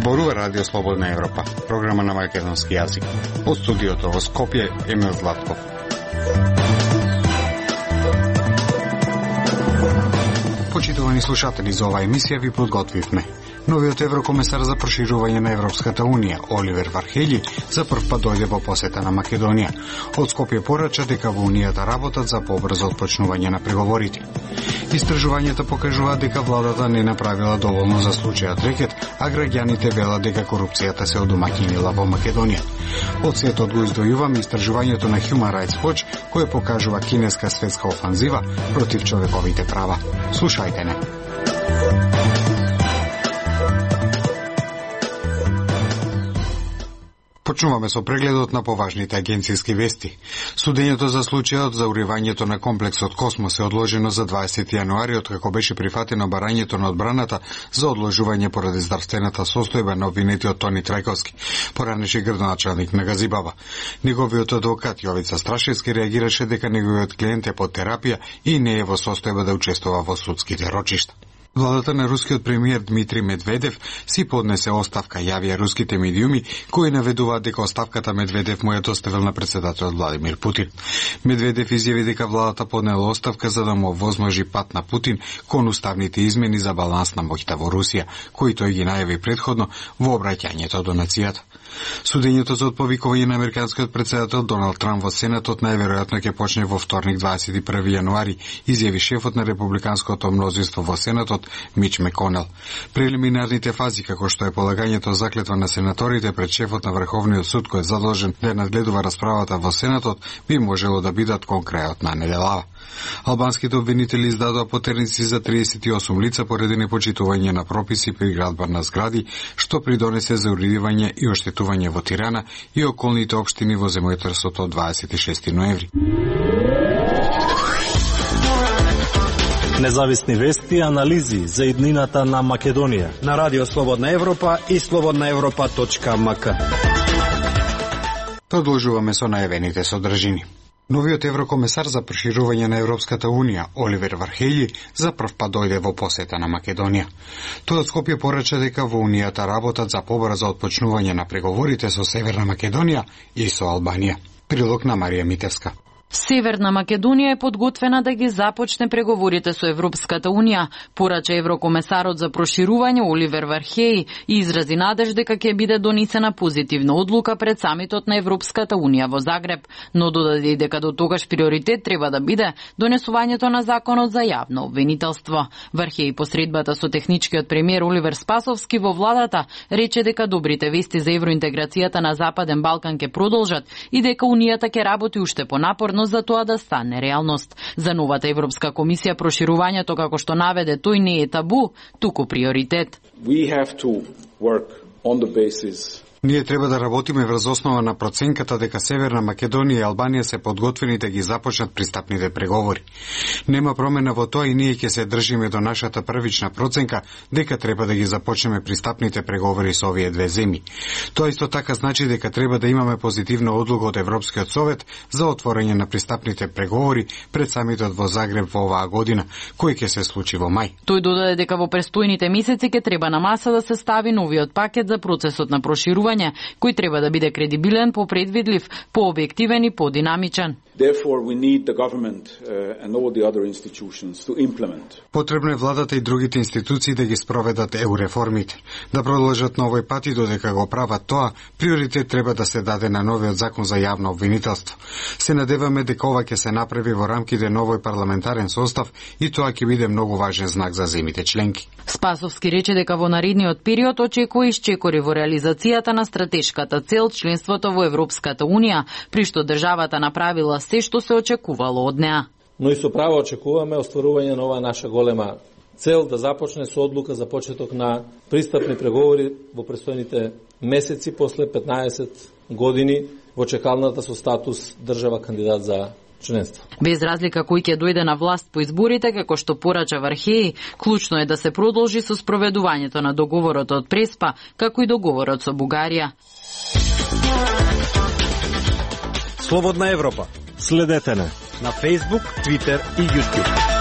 Зборува Радио Слободна Европа, програма на македонски јазик. Од студиото во Скопје, Емил Златков. Почитувани слушатели, за оваа емисија ви подготвивме. Новиот еврокомесар за проширување на Европската Унија, Оливер Вархеји, за прв пат дојде во посета на Македонија. Од Скопје порача дека во Унијата работат за побрзо отпочнување на преговорите. Истражувањата покажуваат дека владата не направила доволно за случајот рекет, а граѓаните велат дека корупцијата се одомаќинила во Македонија. Од светот го издвојуваме истражувањето на Human Rights Watch, кое покажува кинеска светска офанзива против човековите права. Слушајте не. Почнуваме со прегледот на поважните агенцијски вести. Судењето за случајот за уривањето на комплексот Космос е одложено за 20 јануари, откако беше прифатено барањето на одбраната за одложување поради здравствената состојба на обвинетиот Тони Трајковски, поранеши градоначалник на Газибаба. Неговиот адвокат Јовица Страшевски реагираше дека неговиот клиент е под терапија и не е во состојба да учествува во судските рочишта. Владата на рускиот премиер Дмитрий Медведев си поднесе оставка, јавија руските медиуми, кои наведуваат дека оставката Медведев му ја доставил на председателот Владимир Путин. Медведев изјави дека владата поднела оставка за да му овозможи пат на Путин кон уставните измени за баланс на моќта во Русија, кои тој ги најави претходно во обраќањето до нацијата. Судењето за отповикување на американскиот председател Доналд Трамп во Сенатот најверојатно ќе почне во вторник 21 јануари, изјави шефот на републиканското мнозинство во Сенатот Мич Меконел. Прелиминарните фази, како што е полагањето заклетва на сенаторите пред шефот на Врховниот суд кој е задолжен да надгледува расправата во Сенатот, би можело да бидат кон крајот на неделава. Албанските обвинители издадоа потерници за 38 лица поради непочитување на прописи при градба на згради, што придонесе за уредување и оштетување во Тирана и околните општини во земјотресот од 26 ноември. Независни вести и анализи за иднината на Македонија на Радио Слободна Европа и slobodnaevropa.mk. Продолжуваме со најавените содржини. Новиот еврокомесар за проширување на Европската Унија, Оливер Вархеји, за прв пат дојде во посета на Македонија. Тој од Скопје порача дека во Унијата работат за побрзо отпочнување на преговорите со Северна Македонија и со Албанија. Прилог на Марија Митевска. Северна Македонија е подготвена да ги започне преговорите со Европската Унија, порача еврокомесарот за проширување Оливер Вархеји и изрази надеж дека ќе биде донесена позитивна одлука пред самитот на Европската Унија во Загреб, но додаде и дека до тогаш приоритет треба да биде донесувањето на законот за јавно обвинителство. Вархеји посредбата со техничкиот премиер Оливер Спасовски во владата рече дека добрите вести за евроинтеграцијата на Западен Балкан ќе продолжат и дека Унијата ќе работи уште понапорно за тоа да стане реалност. За новата Европска комисија проширувањето, како што наведе тој, не е табу, туку приоритет. We have to work on the basis Ние треба да работиме врз основа на проценката дека Северна Македонија и Албанија се подготвени да ги започнат пристапните преговори. Нема промена во тоа и ние ќе се држиме до нашата првична проценка дека треба да ги започнеме пристапните преговори со овие две земји. Тоа исто така значи дека треба да имаме позитивна одлука од Европскиот совет за отворање на пристапните преговори пред самитот во Загреб во оваа година, кој ќе се случи во мај. Тој додаде дека во престојните месеци ќе треба на маса да се стави новиот пакет за процесот на проширување, кој треба да биде кредибилен, попредвидлив, пообјективен и подинамичен. Therefore, we need the government and all the other institutions to implement. Потребно е владата и другите институции да ги спроведат реформите, да продолжат на овој пат и додека го прават тоа, приоритет треба да се даде на новиот закон за јавно обвинителство. Се надеваме дека ова ќе се направи во рамките на овој парламентарен состав и тоа ќе биде многу важен знак за земите членки. Спасовски рече дека во наредниот период очекува исчекори во реализацијата на стратешката цел членството во Европската Унија, при што државата направила се што се очекувало од неа. Но и со право очекуваме остварување на оваа наша голема цел да започне со одлука за почеток на пристапни преговори во престојните месеци после 15 години во чекалната со статус држава кандидат за членство. Без разлика кој ќе дојде на власт по изборите, како што порача Вархеји, клучно е да се продолжи со спроведувањето на договорот од Преспа, како и договорот со Бугарија. Слободна Европа. Следете не. на Facebook, Twitter и YouTube.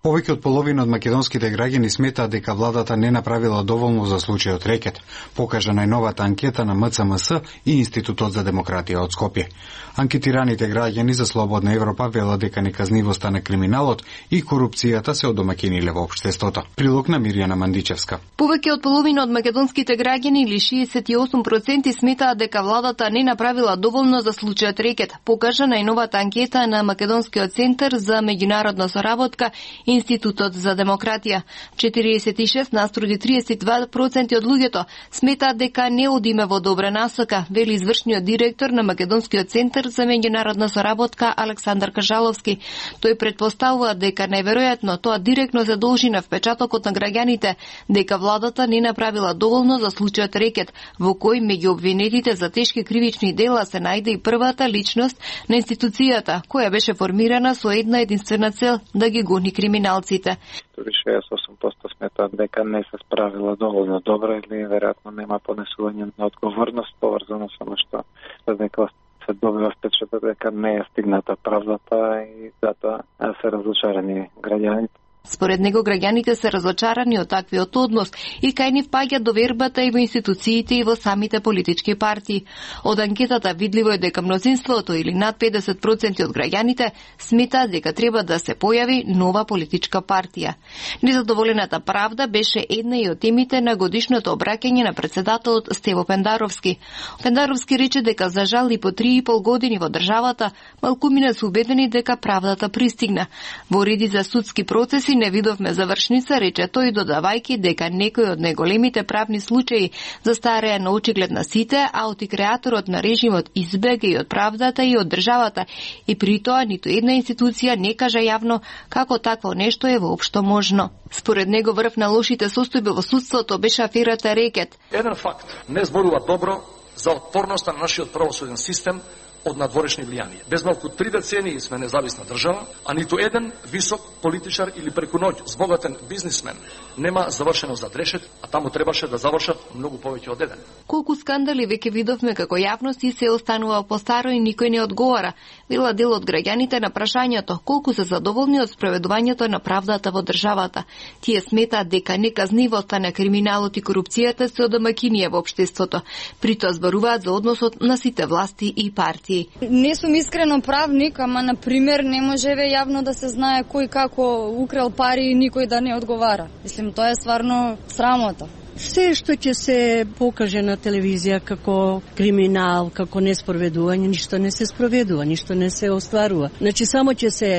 Повеќе од половина од македонските граѓани сметаат дека владата не направила доволно за случајот Рекет, покажа најновата анкета на МЦМС и Институтот за демократија од Скопје. Анкетираните граѓани за Слободна Европа велат дека неказнивоста на криминалот и корупцијата се одомакиниле во општеството. Прилог на Мирјана Мандичевска. Повеќе од половина од македонските граѓани или 68% сметаат дека владата не направила доволно за случајот Рекет, покажа најновата анкета на Македонскиот центар за меѓународна соработка Институтот за демократија. 46 наструди 32% од луѓето сметаат дека не одиме во добра насока, вели извршниот директор на Македонскиот центар за меѓународна соработка Александар Кажаловски. Тој претпоставува дека најверојатно тоа директно се должи на впечатокот на граѓаните дека владата не направила доволно за случајот Рекет, во кој меѓу обвинетите за тешки кривични дела се најде и првата личност на институцијата, која беше формирана со една единствена цел да ги гони криминалците. 68% сметаат дека не се справила доволно добро или веројатно нема понесување на одговорност поврзано со што дека се добива впечаток дека не е стигната правдата и затоа се разочарани граѓаните. Според него, граѓаните се разочарани од таквиот однос и кај нив паѓа довербата и во институциите и во самите политички партии. Од анкетата видливо е дека мнозинството или над 50% од граѓаните сметаат дека треба да се појави нова политичка партија. Незадоволената правда беше една и од темите на годишното обраќање на председателот Стево Пендаровски. Пендаровски рече дека за жал и по 3,5 години во државата малкумина се убедени дека правдата пристигна. Во реди за судски процеси не видовме завршница, рече тој, додавајќи дека некои од најголемите правни случаи застареа на очиглед на сите, а креаторот на режимот избега и од правдата и од државата, и при тоа ниту една институција не кажа јавно како такво нешто е воопшто можно. Според него врв на лошите состојби во судството беше аферата Рекет. Еден факт не зборува добро за отпорноста на нашиот правосуден систем од надворешни влијанија. Без малку 3 децении сме независна држава, а ниту еден висок политичар или преку ноќ збогатен бизнисмен нема завршено зад решет, а таму требаше да завршат многу повеќе од еден. Колку скандали веќе видовме како јавност и се останува по старо и никој не одговара. Вела дел од граѓаните на прашањето колку се задоволни од спроведувањето на правдата во државата. Тие сметаат дека неказнивоста на криминалот и корупцијата се одомакинија во општеството. При тоа зборуваат за односот на сите власти и партии. Не сум искрено правник, ама на пример не можеве јавно да се знае кој како украл пари и никој да не одговара. Мислим, тоа е стварно срамота. Се што ќе се покаже на телевизија како криминал, како неспроведување, ништо не се спроведува, ништо не се остварува. Значи само ќе се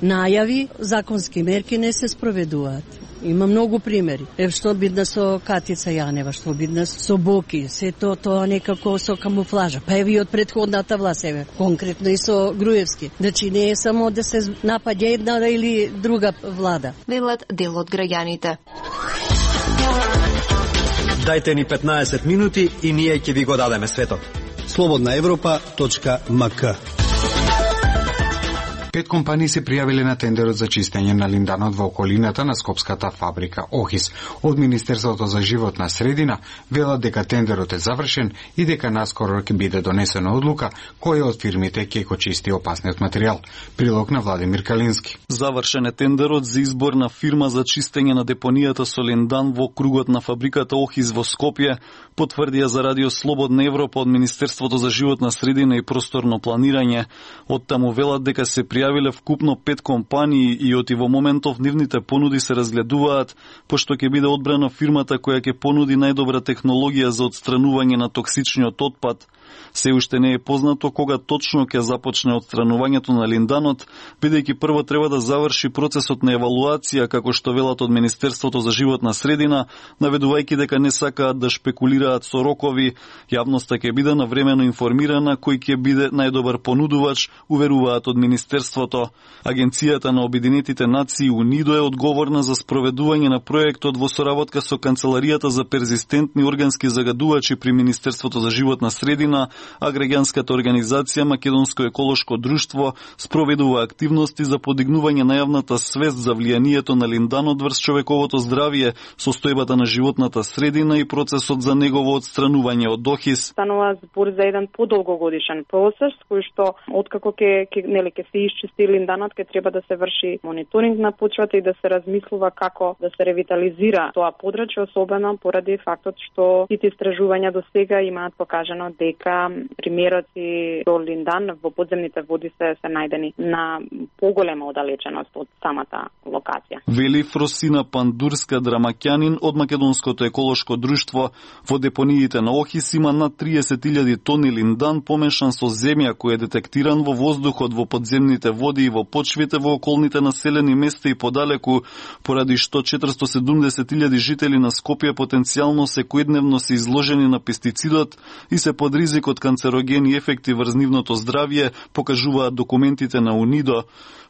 најави, законски мерки не се спроведуваат. Има многу примери. Што бидна со Катица Јанева, што бидна со Боки, се тоа некако со камуфлажа. Па еви од претходната власт, конкретно и со Груевски. Значи не е само да се напаѓа една или друга влада. Велат дел од граѓаните. Дајте ни 15 минути и ние ќе ви го дадеме светот. slobodnaevropa.mk 5 компании се пријавиле на тендерот за чистење на линданот во околината на скопската фабрика Охис. Од Министерството за животна средина велат дека тендерот е завршен и дека наскоро ќе биде донесена одлука која од фирмите ќе го чисти опасниот материјал. Прилог на Владимир Калински. Завршен е тендерот за избор на фирма за чистење на депонијата со линдан во кругот на фабриката Охис во Скопје, потврдија за Радио Слободна Европа од Министерството за животна средина и просторно планирање. Од таму велат дека се пријавиле вкупно 5 компании и оти во моментов нивните понуди се разгледуваат, пошто ќе биде одбрана фирмата која ќе понуди најдобра технологија за отстранување на токсичниот отпад. Се уште не е познато кога точно ќе започне отстранувањето на линданот, бидејќи прво треба да заврши процесот на евалуација, како што велат од Министерството за животна средина, наведувајќи дека не сакаат да шпекулираат со рокови. Јавноста ќе биде навремено информирана кој ќе биде најдобар понудувач, уверуваат од Министерството министерството. Агенцијата на Обединетите нации УНИДО е одговорна за спроведување на проектот во соработка со Канцеларијата за перзистентни органски загадувачи при Министерството за животна средина, а граѓанската организација Македонско еколошко друштво спроведува активности за подигнување на јавната свест за влијанието на линданот врз човековото здравје, состојбата на животната средина и процесот за негово отстранување од ОХИС. Станува збор за еден подолгогодишен процес кој што откако ќе се исчисти линданот, ќе треба да се врши мониторинг на почвата и да се размислува како да се ревитализира тоа подрачје, особено поради фактот што сите истражувања до сега имаат покажано дека примероци до линдан во подземните води се најдени на поголема оддалеченост од самата локација. Вели Фросина Пандурска Драмаќанин од Македонското еколошко друштво. Во депониите на ОХИС има над 30.000 тони линдан помешан со земја кој е детектиран во воздухот, во подземните води и во почвите во околните населени места и подалеку, поради што 470.000 жители на Скопје потенцијално секојдневно се изложени на пестицидот и се под ризик од канцерогени ефекти врз нивното здравје, покажуваат документите на УНИДО.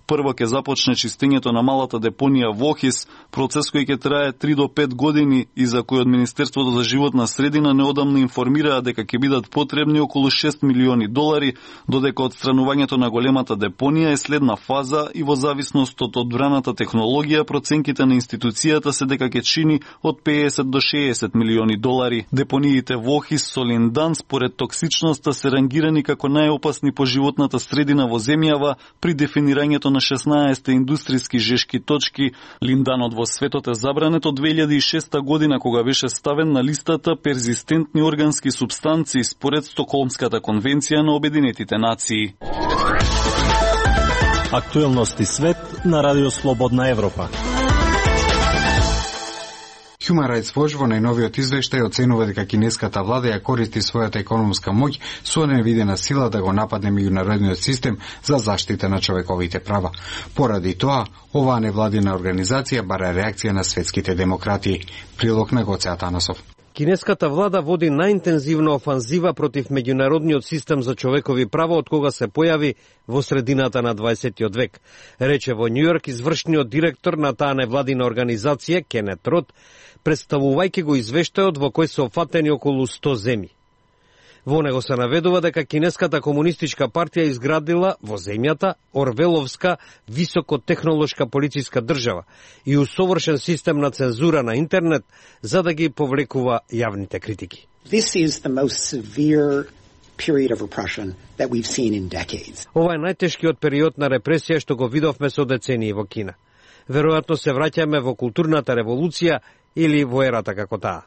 Прво ќе започне чистењето на малата депонија во ОХИС, процес кој ќе трае 3 до 5 години и за кој од Министерството за животна средина неодамна информираа дека ќе бидат потребни околу $6 милиони, додека отстранувањето на големата депонија е следна фаза и во зависност од одбраната технологија, проценките на институцијата се дека ќе чини од $50 до $60 милиони. Депониите во ОХИС со линдан според токсичноста се рангирани како најопасни по животната средина во земјава при дефинирањето на 16 индустријски жешки точки. Линданот во светот е забранет од 2006 година кога беше ставен на листата перзистентни органски супстанции според Стокхолмската конвенција на Обединетите нации. Актуелности свет на Радио Слободна Европа. Human Rights Watch во најновиот извештај оценува дека кинеската влада ја користи својата економска моќ со невидена сила да го нападне меѓународниот систем за заштита на човековите права. Поради тоа, оваа невладина организација бара реакција на светските демократи. Прилог на Гоце Атанасов. Кинеската влада води најинтензивна офанзива против меѓународниот систем за човекови права од кога се појави во средината на 20 век, рече во Њујорк извршниот директор на таа невладина организација Кенет Рот, представувајќи го извештајот во кој се офатени околу 100 земји. Во него се наведува дека Кинеската комунистичка партија изградила во земјата орвеловска високотехнолошка полициска држава и усовршен систем на цензура на интернет за да ги повлекува јавните критики. This is the most severe period of repression that we've seen in decades. Ова е најтешкиот период на репресија што го видовме со децении во Кина. Веројатно се враќаме во културната револуција или во ерата како таа.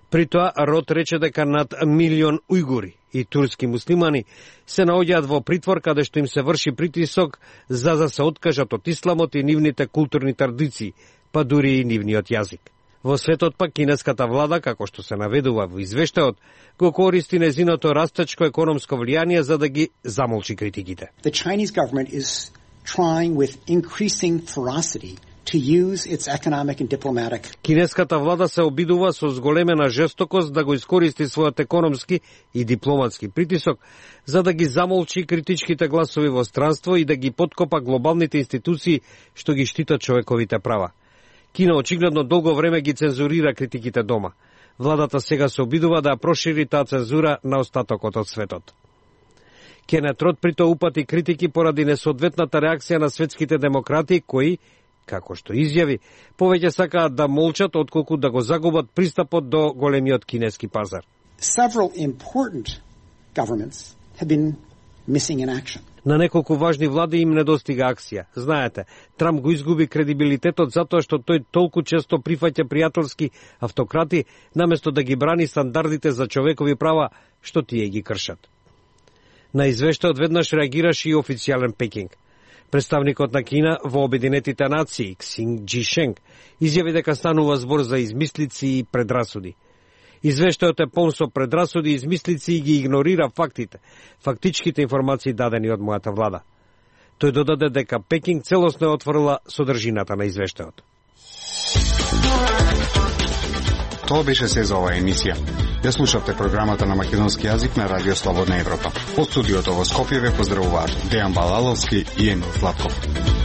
При тоа, Рот рече дека над 1 милион ујгури и турски муслимани се наоѓаат во притвор каде што им се врши притисок за да се откажат од исламот и нивните културни традиции, па дури и нивниот јазик. Во светот пак кинеската влада, како што се наведува во извештајот, го користи незиното растечко економско влијание за да ги замолчи критиките. The Chinese government is trying with increasing ferocity to use its economic and diplomatic. Кинеската влада се обидува со зголемена жестокост да го искористи својот економски и дипломатски притисок за да ги замолчи критичките гласови во странство и да ги подкопа глобалните институции што ги штитат човековите права. Кина очигледно долго време ги цензурира критиките дома. Владата сега се обидува да прошири таа цензура на остатокот од светот. Кенет Рот прито упати критики поради несоодветната реакција на светските демократи кои, како што изјави, повеќе сакаат да молчат отколку да го загубат пристапот до големиот кинески пазар. Several important governments have been missing in action. На неколку важни влади им недостига акција. Знаете, Трамп го изгуби кредибилитетот затоа што тој толку често прифаќа пријателски автократи наместо да ги брани стандардите за човекови права што тие ги кршат. На извештајот веднаш реагираше и официјален Пекинг. Представникот на Кина во Обединетите нации, Ксинг Џишенг, изјави дека станува збор за измислици и предрасуди. Извештајот е полн со предрасуди и измислици и ги игнорира фактите, фактичките информации дадени од мојата влада. Тој додаде дека Пекинг целосно е отворила содржината на извештајот. Тоа беше се за оваа емисија. Ја слушавте програмата на македонски јазик на Радио Слободна Европа. Од студиото во Скопје ве поздравуваат Дејан Балаловски и Емил Златков.